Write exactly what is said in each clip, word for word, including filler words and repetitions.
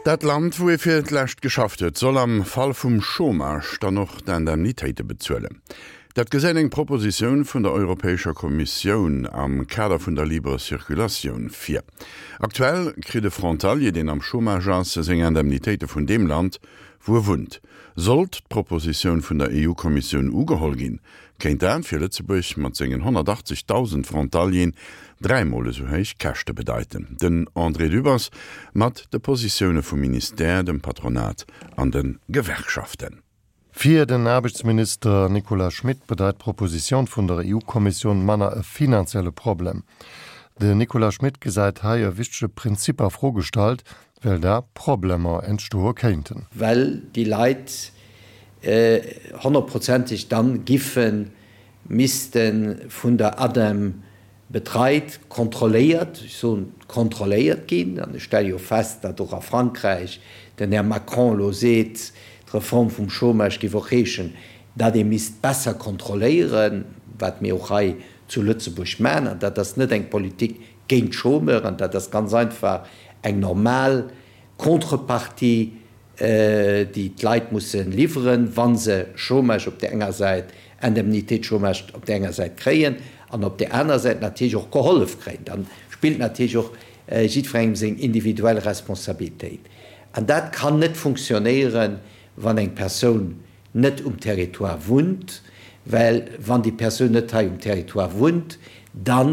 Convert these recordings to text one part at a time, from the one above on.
Dat Land, wou ee fir d'lescht geschafft huet, soll am Fall vum Chômage dann och d'Indemnitéite bezuelen. Dat gesäit eng Propositioun vun der Europäescher Kommissioun am Kader vun der Libre Circulatioun vir. Aktuell kritt e Frontalier, deen am Chômage ass, seng Indemnitéite vun deem Land, wou e wunnt. Sollt d'Propositioun vun der EU-Kommissioun ugeholl ginn, kéint dat fir Lëtzebuerg mat sengen honnertachtzegdausend Frontalieren dräi Mol esou héich Käschte bedeiten. Den André Dübbers mat de Positioune vum Ministère, dem Patronat an de Gewerkschaften. Fir den Aarbechtsminister Nicolas Schmit bedeit d'Propositioun vun der EU-Kommissioun manner e finanzielle Problem. Den Nicolas Schmit gesäit hei e wichtege Prinzip a Fro gestallt, well da Problemer entstoe kéinten. Well déi Leit honnertprozenteg dann giffe misste vun der ADEM betreit, kontrolléiert, ech soen kontrolléiert ginn, an ech stelle jo fest, datt och a Frankräich den Här Macron elo seet, d'Reform vum Chômage géif och heeschen, datt ee misst besser kontrolléieren, wat mir och hei zu Lëtzebuerg maachen, an dat ass net eng Politik géint d'Chômeuren, dat ass ganz einfach eng normal Contrepartie, déi d'Leit musse liwweren, wa se Chômage op där enger Säit, Indemnité de chômage op där enger Säit kréien an op där aner Säit natierlech och gehollef kréien. Da spillt natierlech och jiddwerengem seng individuell Responsabilitéit. An dat kann net funktionéieren, wann eng Persoun net um Territoire wunnt, well wann déi Persoun net hei um Territoire wunnt, da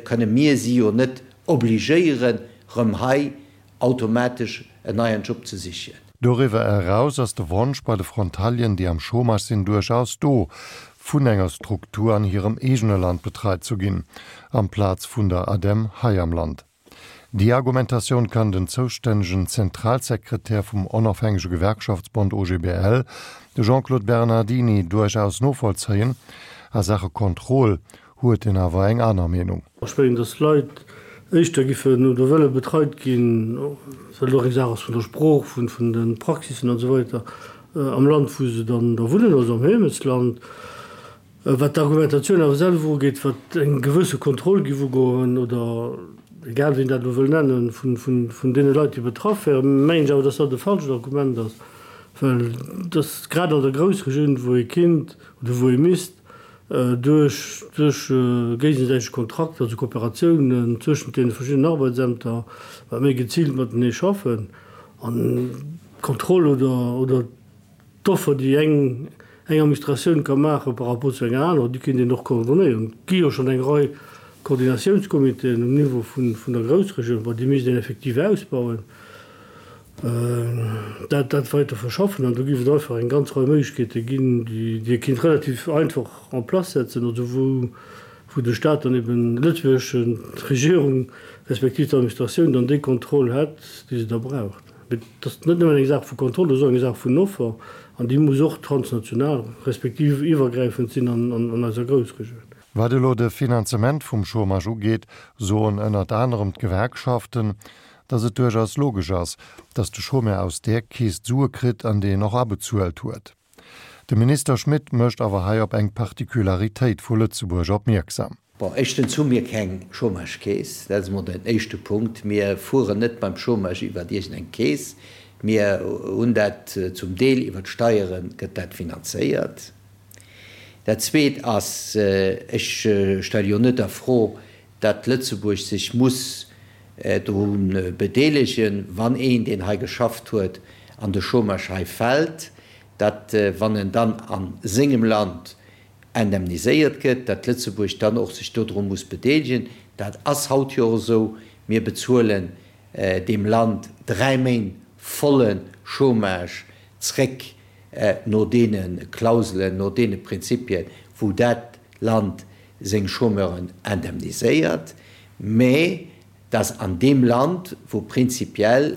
kënne mir si jo net obligéieren, rëm hei automatesch en neien Job ze sichen. Doriwwer eraus ass de Wonsch bei de Frontalieren, déi am Chômage sinn, duerchaus do, vun enger Struktur an hirem eegene Land betreit zu ginn, amplaz vun der ADEM hei am Land. Déi Argumentatioun kann den zoustännegen Zentralsekretär vum Onofhängege Gewerkschaftsbond O G B L, de Jean-Claude Bernardini, duerchaus novollzéien. A Saache Kontroll huet en awer eng aner Meenung. Ech mengen, dass d'Leit éischter giffen oder wëlle betreit ginn, well et och eng Saach ass vun der Sprooch, vun vun de Praxissen an esou weider, am Land, wou se dann da wunnen, also am Heemechtsland. Wat d'Argumentatioun awer selwer ugeet, wat eng gewësse Kontroll giff ugoen, oder egal wéi een dat elo wëll nennen, vun vun vun deene Leit, déi betraff wären, mengen ech awer, dass dat e falscht Argument ass, well dass grad an der Groussregioun, wou ee kinnt oder wou ee misst duerch duerch géigesäiteg Kontrakter, also Kooperatiounen zwëschent deene verschiddenen Arbeitsämter, wat méi geziilt matenee schaffen an d'Kontroll oder oder d'Offer, déi eng eng Administratioun ka maache par rapport zu enger anerer, déi kéint een och coordonéieren. Et gi jo schonn eng Rei Koordinatiounscomitéen um Niveau vun vun der Groussregioun, bon, déi misst een effektiv ausbauen. dat dat weiter verschaffen an do géif et einfach eng ganz Rei Méiglechkeete ginn, déi déi ee kinnt relativ einfach en place setzen, also wou wou de Stat dann eben, d'lëtzebuergesch Regierung respektiv d'Administratioun dann déi Kontroll hätt, déi se da braucht. Mee et ass net nëmmen eng Saach vu Kontroll, et ass och eng Saach vun Offer an déi muss och transnational respektiv iwwergräifend sinn an an eiser Groussregioun. Wat elo de Finanzement vum Chômage ugeet, soen ënnert anerem d'Gewerkschaften, dass et duerchaus logesch ass, dass de Chômeur aus där Keess d'Sue kritt, an déi en och abezuelt huet. De Minister Schmit mécht awer hei op eng Particularitéit vu Lëtzebuerg opmierksam. Bon, éischtens hu mir keng Chômagekeess, dat ass emol den éischte Punkt. Mir fueren net beim Chômage iwwert iergendeng Keess. Mir hunn dat zum Deel iwwert d'Steiere gëtt dat finanzéiert. Dat Zweet ass, ech stelle jo net a Fro, datt Lëtzebuerg sech muss dru bedeelegen, wann een, deen hei geschafft huet, an de Chômage hei fält, datt, wann en dann a sengem Land indemniséiert gëtt, datt Lëtzebuerg dann och sech dodru muss bedeelegen. Dat ass haut jo och esou. Mir bezuelen deem Land dräi Méint volle Chômage zréck no deene Klauselen, no deene Prinzipien, wou dat Land seng Chômeuren indemniséiert, mä dass an deem Land, wou prinzipiell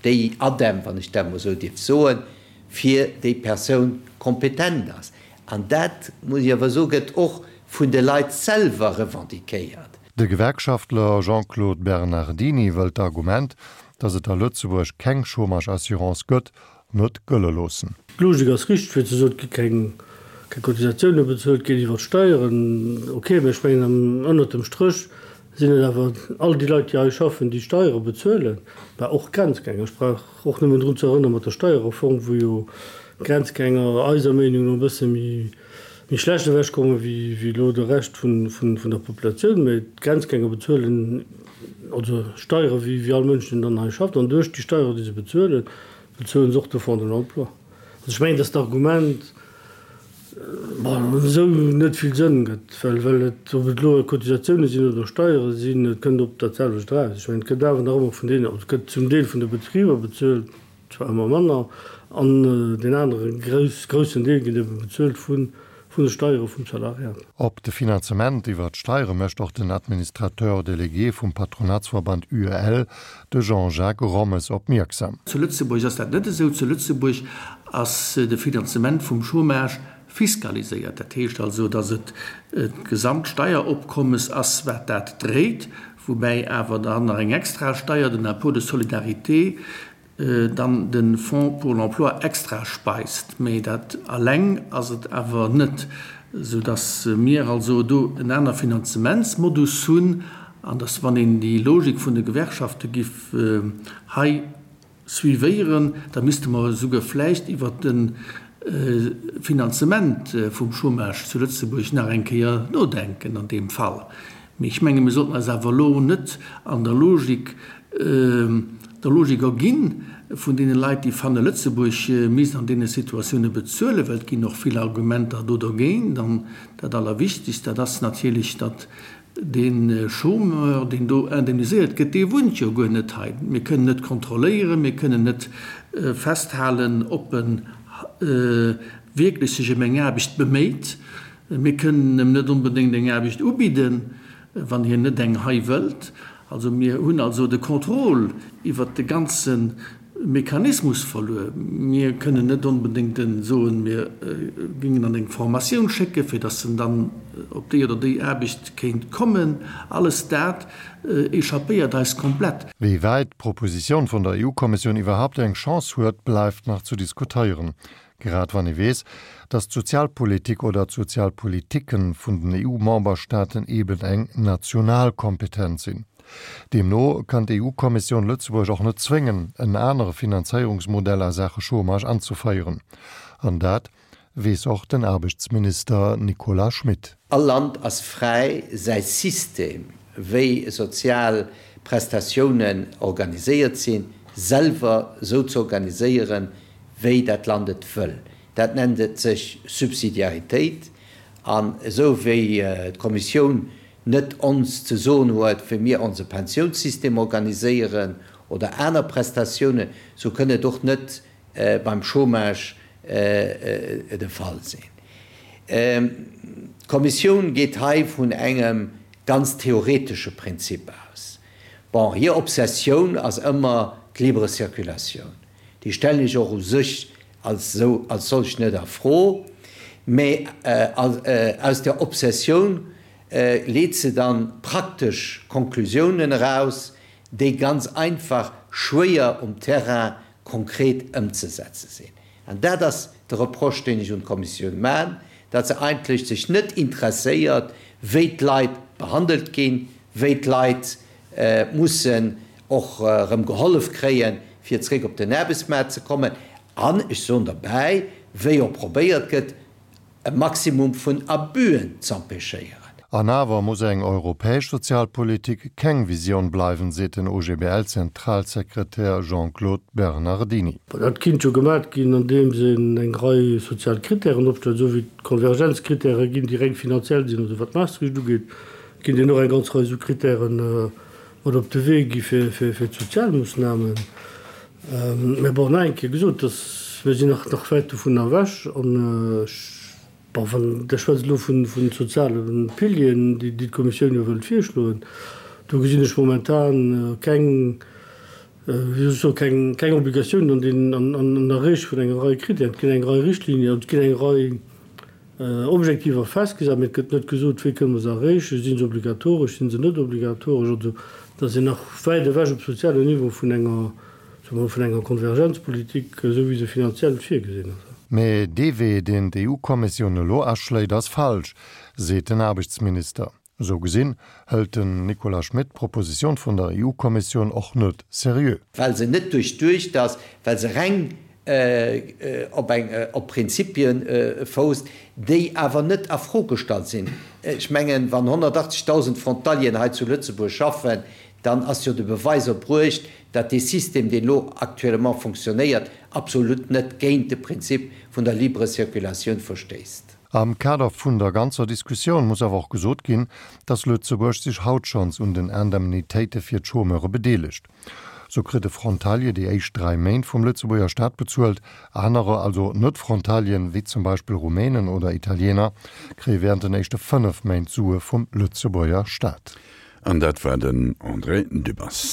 déi ADEM, wann ech dat emol esou dierf soen, fir déi Persoun kompetent ass. An dat, muss ech awer soen, gëtt och vun de Leit selwer revendiquéiert. De Gewerkschaftler Jean-Claude Bernardini wëllt d'Argument, datt et a Lëtzebuerg keng Chômage-Assurance gëtt, net gëlle loossen. D'Logik ass richteg, fir ze soen, et gi keng Cotisatioune bezuelt, et geet iwwer d'Steieren. Ok, mä ech mengen, ënnert dem Stréch sinn et awer all déi Leit, déi hei schaffen, déi Steiere bezuelen, mä och Grenzgänger. Ech brauch och nëmmen drun ze erënnere mat der Steierreform, wou jo Grenzgänger eiser Meenung no e bësse méi méi schlecht ewechkomme wéi elo de Rescht vun der Populatioun. Mä d'Grenzgänger bezuelen also Steiere wéi all Mënsch, deen dann hei schafft. An duerch déi Steiere, déi se bezuelen, bezuelen se och de Fonds de l'emploi. Also ech mengen, dass d'Argument, bon, esou net vill Sënn gëtt, well well et, ob et elo Cotisatioune sinn oder Steiere sinn, et kënnt op dat selwecht eraus. Ech mengen, et gëtt awer nach ëmmer vun deenen, also et gëtt zum Deel vun de Betriber bezuelt, zwar ëmmer manner, an deen anere grouss, groussen Deel gëtt ebe bezuelt vun vun de Steiere vum Salariat. Op de Finanzement iwwer d'Steiere mécht och den Administrateur délégué vum Patronatsverband UEL, de Jean-Jacques Rommes opmierksam. Zu Lëtzebuerg ass dat net esou. Zu Lëtzebuerg ass de Finanzement vum Chômage fiskaliséiert. Dat heescht also, datt et d'Gesamtsteieropkommes ass, wat dat dréit, woubäi awer dann nach eng extra Steier, den Impôt de solidarité, dann de Fonds pour l'emploi extra speist. Mee dat alleng ass et awer net, soudatt mir also do en aner Finanzementsmodus hunn an datt, wann een déi Logik vun de Gewerkschafte giff hei suivéieren, da misste mer esouguer vläicht iwwert de Finanzement vum Chômage zu Lëtzebuerg nach eng Kéier nodenken an deem Fall. Mee ech menge mir sollten eis awer elo net an der Logik, der Logik erginn vun deene Leit, déi fanne Lëtzebuerg misst an deene Situatioune bezuelen, well et ginn och vill Argumenter do dergéint. An dat Allerwichtigst, dat ass natierlech, datt Dee Chômeur, deen do indemniséiert gëtt, dee wunnt jo guer net hei. Mir kënnen net kontrolléieren, mir kënnen net festhalen, ob e wierklech sech ëm eng Aarbecht beméit. Mir kënnen em net onbedéngt eng Aarbecht ubidden, wann hien net eng hei wëllt. Also mir hunn also de Contrôle iwwert de ganze Mechanismus verluer. Mir kënnen net onbedéngt en soen, mir géingen an eng Formatioun schécken, fir datt en dann op déi oder déi Aarbecht kéint kommen. Alles dat échappéiert eis komplett. Wéi wäit d'Propositioun vun der EU-Kommissioun iwwerhaapt eng Chance huet, bleift nach zu diskutéieren. Grad wann ee weess, datt d'Sozialpolitik oder d'Sozialpolitiken vun den EU-Memberstaaten eben eng national Kompetenz sinn. Deemno kann d'EU-Kommissioun Lëtzebuerg och net zwéngen, en anere Finanzéierungsmodell a Saache Chômage anzeféieren. An dat weess och den Aarbechtsminister Nicolas Schmit. All Land ass fräi, säi System, wéi sozial Prestatiounen organiséiert sinn, selwer esou ze organiséieren, wéi dat Land et wëll. Dat nennt et sech Subsidiaritéit. An esou wéi d'Kommissioun net ons ze soen huet, wéi mir onse Pensiounssystem organiséieren oder aner Prestatiounen, sou kënn et och net beim Chômage de Fall sinn. D'Kommissioun geet hei vun engem ganz theoretesche Prinzip aus. Bon, hir Obsessioun ass ëmmer d'libre Circulatioun. Déi stellen ech och u sech als esou, als solch net a Fro, mä aus där Obsessioun leet se dann praktesch Konklusiounen eraus, déi ganz einfach schwéier um Terrain konkret ëmzesetze sinn. An dat ass de Reproche, deen ech un d'Kommissioun maachen, datt se eigentlech sech net interesséiert, wéi d'Leit behandelt ginn, wéi d'Leit mussen och erëm gehollef kréien, fir zréck op den Aarbechtsmaart ze kommen, an ech soen derbäi, wéi och probéiert gëtt, e Maximum vun Abüen z'empêchéieren. An awer muss eng europäesch Sozialpolitik keng Visioun bleiwen, seet den OGBL-Zentralsekretär Jean-Claude Bernardini. Dat kinnt jo gemat ginn, andeems een eng Rei sozial Krittären opstellt, esou wéi d'Konvergenzkrittäre ginn, déi reng finanziell sinn, also wat Maastricht ugeet, kinnt een och eng ganz Rei esou Krittären mat op de Wee gi fir d'Sozialmoossnamen. Mä bon, nach eng Kéier gesot, dass mir sinn nach nach wäit dovunner ewech. An ech, bon, wann, Der schwätzt elo vu soziale Pilieren, déi d'Kommissioun jo wëllt virschloen, do gesinn ech momentan keng, wéi soll ech soen, keng, keng Obligatioun an den, an, an Erreeche vun enger Rei Kritären. Et ginn eng Rei Richtlinien, et ginn eng Rei Objektiver festgesat, mee et gëtt net gesot, wéi kënne mer se erreechen, si se obligatoresch, si se net obligatoresch. Also da sinn nach wäit ewech op sozialem Niveau vun enger, soe mer, vun enger Konvergenzpolitik, esou wéi se finanziell virgesinn ass. Mee dee Wee, deen d'EU-Kommissioun elo aschléit, ass falsch, seet den Aarbechtsminister. Esou gesinn hëlt den Nicolas Schmit d'Propositioun vun der EU-Kommissioun och net seriö. Well se net duerchduecht ass, well se reng op eng op Prinzipie fousst, déi awer net a Fro gestallt sinn. Ech mengen, wann honnertachtzigtausend Frontalieren hei zu Lëtzebuerg schaffen, dann ass jo de Beweis erbruecht, datt dee System, deen elo actuellement fonctionnéiert, absolut net géint de Prinzip vun der libre Circulatioun verstéisst. Am Kader vun der ganzer Diskussioun muss awer och gesot ginn, datt Lëtzebuerg sech haut schonns un den Indemnitéite fir d'Chômeure bedeelegt. Sou kritt e Frontalier déi éischt dräi Méint vum Lëtzebuerger Staat bezuelt, anerer, also Net-Frontalieren, wéi zum Beispill Rumänen oder Italiener, kréie wärend den éischte fënnef Méint Sue vum Lëtzebuerger Staat. An dat war den André Dübbers.